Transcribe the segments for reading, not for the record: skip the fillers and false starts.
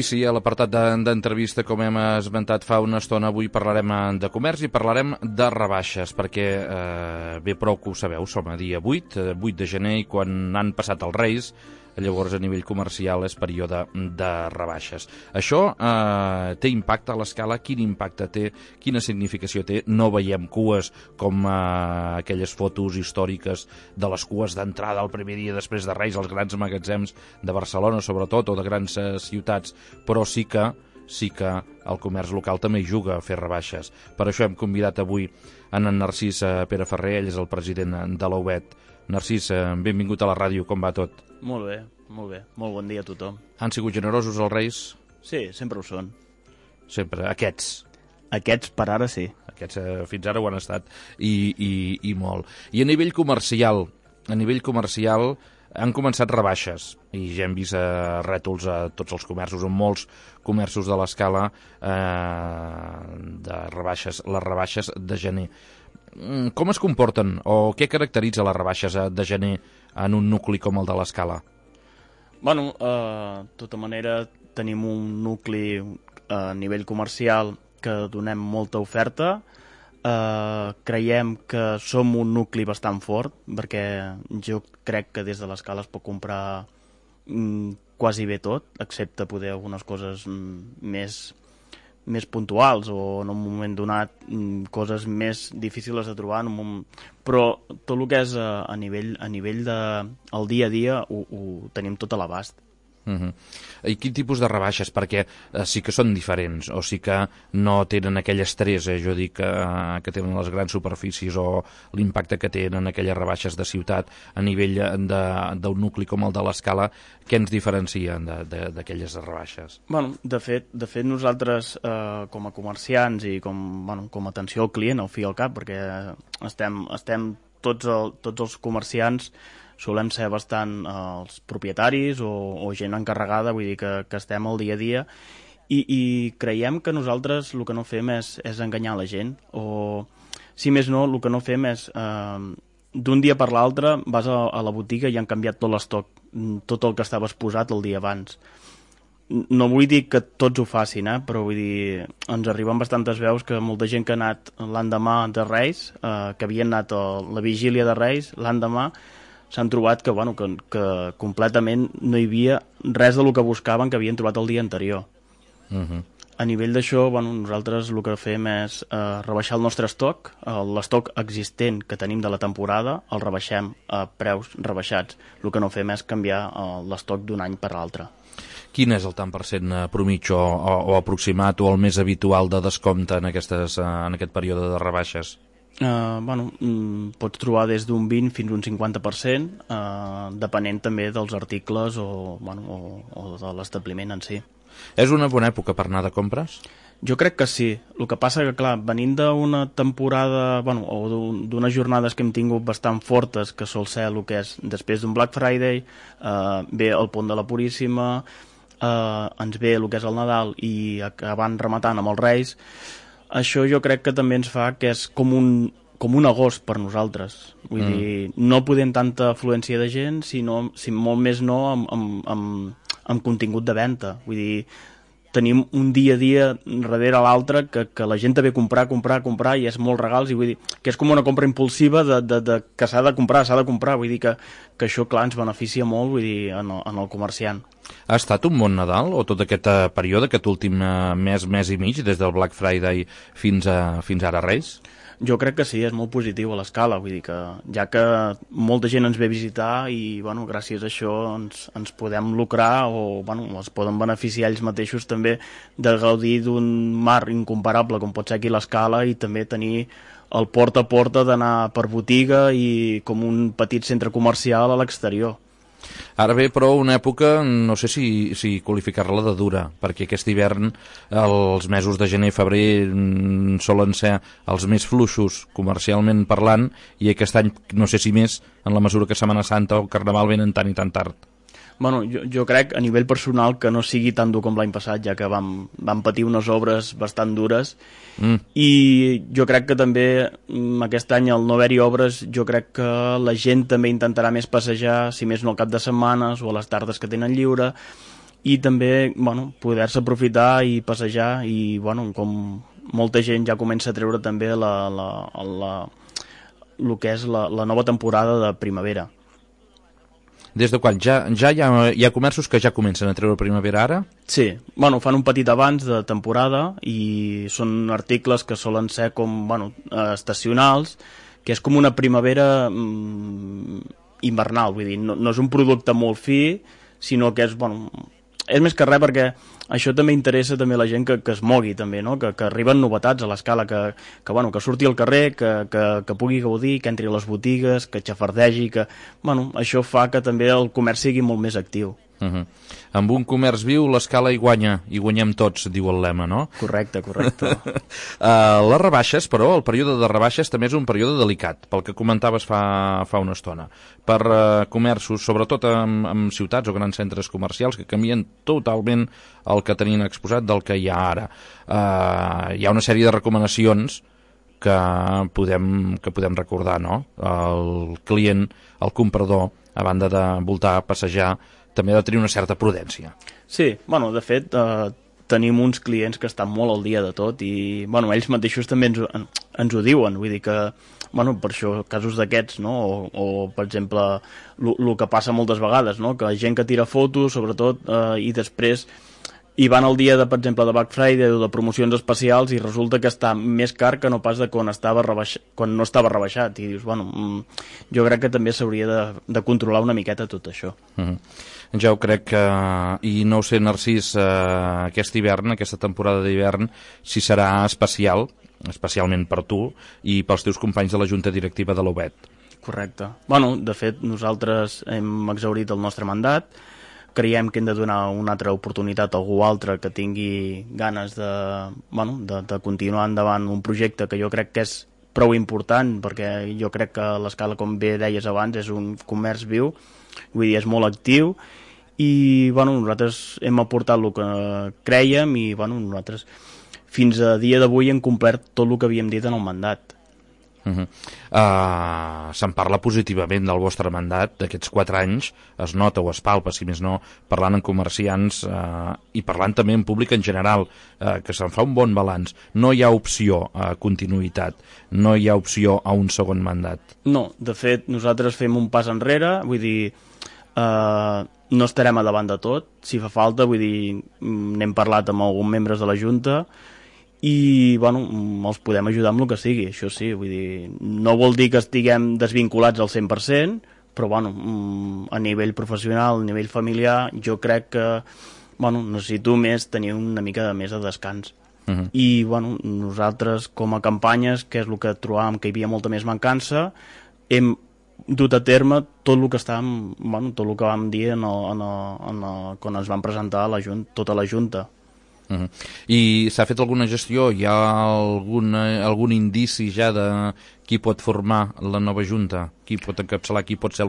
I sí, a l'apartat d'entrevista, com hem esmentat fa una estona, avui parlarem de comerç i parlarem de rebaixes, perquè bé prou que ho sabeu, som a dia 8 de gener, i quan han passat els Reis, llavors a nivell comercial és període de rebaixes. Això té impacte a l'escala? Quin impacte té? Quina significació té? No veiem cues com aquelles fotos històriques de les cues d'entrada el primer dia després de Reis als grans magatzems de Barcelona, sobretot, o de grans ciutats, però sí que el comerç local també hi juga a fer rebaixes. Per això hem convidat avui en Narcís Pere Ferrer, ell és el president de la UBET. Narcís, benvingut a la ràdio, com va tot? Molt bé, molt bé. Molt bon dia a tothom. Han sigut generosos els Reis? Sí, sempre ho són. Sempre, aquests? Aquests per ara sí. Aquests fins ara ho han estat, i molt. I a nivell comercial han començat rebaixes, i ja hem vist rètols a tots els comerços, en molts comerços de l'escala, de rebaixes, les rebaixes de gener. Com es comporten, o què caracteritza les rebaixes de gener en un nucli com el de l'escala? Bueno, de tota manera tenim un nucli a nivell comercial que donem molta oferta. Creiem que som un nucli bastant fort, perquè jo crec que des de l'escala es pot comprar quasi bé tot, excepte poder algunes coses més puntuals, o en un moment donat coses més difícils de trobar, però tot el que és a nivell del dia a dia ho tenim tot a l'abast. I quin tipus de rebaixes? Perquè sí que són diferents, o sí que no tenen aquell estrès, jo dic, que tenen les grans superfícies, o l'impacte que tenen aquelles rebaixes de ciutat a nivell d'un nucli com el de l'escala. Què ens diferencien d'aquelles rebaixes? Bueno, de fet nosaltres com a comerciants i com a atenció al client, al fi i al cap, perquè estem tots els comerciants solem ser bastant els propietaris o gent encarregada, vull dir que estem al dia a dia, i creiem que nosaltres el que no fem és enganyar la gent, o si més no, el que no fem és d'un dia per l'altre vas a la botiga i han canviat tot l'estoc, tot el que estaves posat el dia abans. No vull dir que tots ho facin, però vull dir, ens arriben bastantes veus que molta gent que ha anat l'endemà de Reis, que havien anat a la vigília de Reis, l'endemà s'han trobat que completament no hi havia res del que buscaven que havien trobat el dia anterior. A nivell d'això, nosaltres el que fem és rebaixar el nostre estoc, l'estoc existent que tenim de la temporada, el rebaixem a preus rebaixats. El que no fem és canviar l'estoc d'un any per l'altre. Quin és el tant per cent promitjo o aproximat o el més habitual de descompte en aquest període de rebaixes? Pots trobar des d'un 20 fins a un 50%, depenent també dels articles o de l'establiment en si. És una bona època per anar de compres? Jo crec que sí. El que passa que, clar, venint d'una temporada, o d'unes jornades que hem tingut bastant fortes, que sol ser el que és després d'un Black Friday, ve el Pont de la Puríssima, ens ve el que és el Nadal i acabant rematant amb els Reis. Això jo crec que també ens fa que és com un agost per nosaltres. Vull dir, no podem tanta afluència de gent, sinó, si molt més no, amb contingut de venda. Vull dir, tenim un dia a dia darrere l'altre que la gent ve a comprar i és molts regals, i vull dir que és com una compra impulsiva que s'ha de comprar. Vull dir que això, clar, ens beneficia molt, vull dir, en el comerciant. Ha estat un bon Nadal, o tot aquest període, aquest últim mes i mig, des del Black Friday fins ara Reis? Jo crec que sí, és molt positiu a l'escala, vull dir que ja que molta gent ens ve a visitar i gràcies a això ens podem lucrar o es poden beneficiar ells mateixos també de gaudir d'un mar incomparable com pot ser aquí l'escala, i també tenir el porta a porta d'anar per botiga i com un petit centre comercial a l'exterior. Ara ve, però, una època, no sé si qualificar-la de dura, perquè aquest hivern, els mesos de gener i febrer solen ser els més fluixos comercialment parlant, i aquest any, no sé si més, en la mesura que Setmana Santa o Carnaval venen tant i tan tard. Bueno, jo crec a nivell personal que no sigui tan dur com l'any passat, ja que vam patir unes obres bastant dures, i jo crec que també aquest any, al no haver-hi obres, jo crec que la gent també intentarà més passejar, si més no al cap de setmanes o a les tardes que tenen lliure, i també poder-se aprofitar i passejar, i com molta gent ja comença a treure també el que és la nova temporada de primavera. Des de quan? Ja hi ha comerços que ja comencen a treure primavera ara? Sí, fan un petit abans de temporada i són articles que solen ser com estacionals, que és com una primavera invernal, vull dir, no és un producte molt fi, sinó que és més que res perquè això també interessa també a la gent que es mogui també, no? Que arriben novetats a l'escala, que surti al carrer, que pugui gaudir, que entri a les botigues, que xafardegi, que això fa que també el comerç sigui molt més actiu. Amb un comerç viu l'escala hi guanya, i guanyem tots, diu el lema, no? Correcte. Les rebaixes, però, el període de rebaixes també és un període delicat, pel que comentaves fa una estona. Per comerços, sobretot en ciutats o grans centres comercials, que canvien totalment el que tenien exposat del que hi ha ara. Hi ha una sèrie de recomanacions que podem recordar, no? El client, el comprador, a banda de voltar, passejar, també ha de tenir una certa prudència. Sí, de fet, tenim uns clients que estan molt al dia de tot i, ells mateixos també ens ho diuen, vull dir que, per això, casos d'aquests, no? O per exemple, el que passa moltes vegades, no? Que gent que tira fotos, sobretot, i després hi van el dia, per exemple, de Black Friday o de promocions especials i resulta que està més car que no pas de quan no estava rebaixat. I dius, jo crec que també s'hauria de controlar una miqueta tot això. Ja ho crec que, i no ho sé, Narcís, aquest hivern, aquesta temporada d'hivern, si serà especialment per tu i pels teus companys de la Junta Directiva de l'UBET. Correcte. De fet, nosaltres hem exhaurit el nostre mandat, creiem que hem de donar una altra oportunitat a algú altre que tingui ganes de continuar endavant un projecte que jo crec que és prou important, perquè jo crec que l'escala, com bé deies abans, és un comerç viu, vull dir, és molt actiu, i nosaltres hem aportat el que crèiem i nosaltres fins a dia d'avui hem complert tot el que havíem dit en el mandat. Se'n parla positivament del vostre mandat d'aquests 4 anys, es nota o es palpa, si més no, parlant amb comerciants i parlant també en públic en general, que se'n fa un bon balanç. No hi ha opció a continuïtat, no hi ha opció a un segon mandat. No, de fet nosaltres fem un pas enrere, vull dir, no estarem a davant de tot, si fa falta, vull dir, n'hem parlat amb alguns membres de la Junta i els podem ajudar amb el que sigui, això sí, vull dir, no vol dir que estiguem desvinculats al 100%, però a nivell professional, a nivell familiar, jo crec que necessito tenir una mica més de descans. I nosaltres com a campanyes, que és el que trobàvem que hi havia molta més mancança, hem dut a terme tot el que tot el que vam dir quan ens van presentar tota la Junta. I s'ha fet alguna gestió? Hi ha algun indici ja de qui pot formar la nova Junta? Qui pot encapçalar, qui pot ser el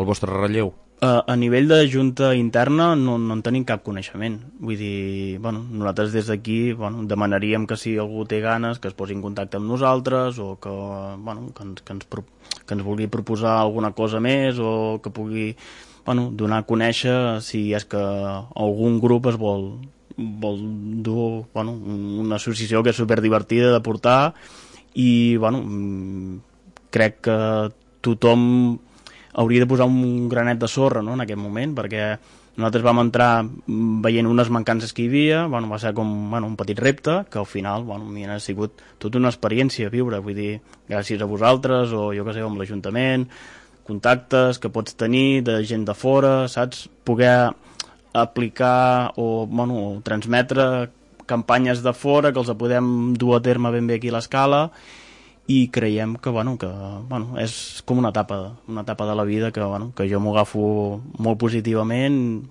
vostre relleu? A nivell de Junta interna no en tenim cap coneixement. Vull dir, nosaltres des d'aquí demanaríem que si algú té ganes que es posi en contacte amb nosaltres o que ens vulgui proposar alguna cosa més o que pugui donar a conèixer si és que algun grup es vol dur una associació que és superdivertida de portar i crec que tothom hauria de posar un granet de sorra, no?, en aquest moment, perquè nosaltres vam entrar veient unes mancances que hi havia, va ser com un petit repte, que al final ha sigut tota una experiència a viure, vull dir, gràcies a vosaltres, o jo que sé, amb l'Ajuntament, contactes que pots tenir de gent de fora, saps? Poder aplicar o transmetre campanyes de fora que els podem dur a terme ben bé aquí a l'escala i creiem que és com una etapa de la vida que jo m'ho agafo molt positivament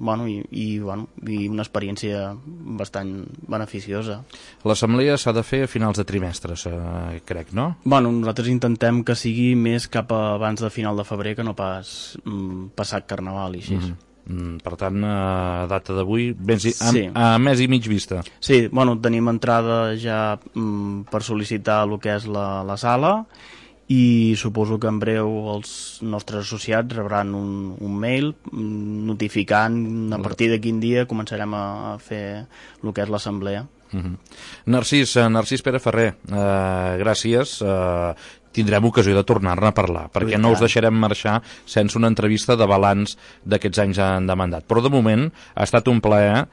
i una experiència bastant beneficiosa. L'assemblea s'ha de fer a finals de trimestres, crec, no? Nosaltres intentem que sigui més cap abans de final de febrer que no pas passat Carnaval i així. Per tant, a data d'avui, a mes i mig vista. Sí, tenim entrada ja per sol·licitar el que és la sala i suposo que en breu els nostres associats rebran un mail notificant a partir de quin dia començarem a fer el que és l'assemblea. Narcís Pere Ferrer, gràcies. Tindrem ocasió de tornar-ne a parlar, perquè no us deixarem marxar sense una entrevista de balanç d'aquests anys de mandat. Però de moment ha estat un plaer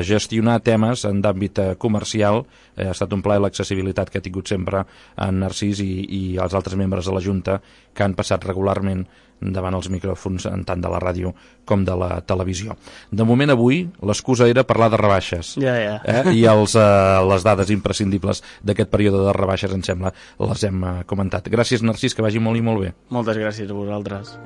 gestionar temes en d'àmbit comercial, ha estat un plaer l'accessibilitat que ha tingut sempre en Narcís i els altres membres de la Junta que han passat regularment davant els micròfons tant de la ràdio com de la televisió. De moment avui l'excusa era parlar de rebaixes. I les dades imprescindibles d'aquest període de rebaixes, em sembla, les hem comentat. Gràcies, Narcís, que vagi molt i molt bé. Moltes gràcies a vosaltres.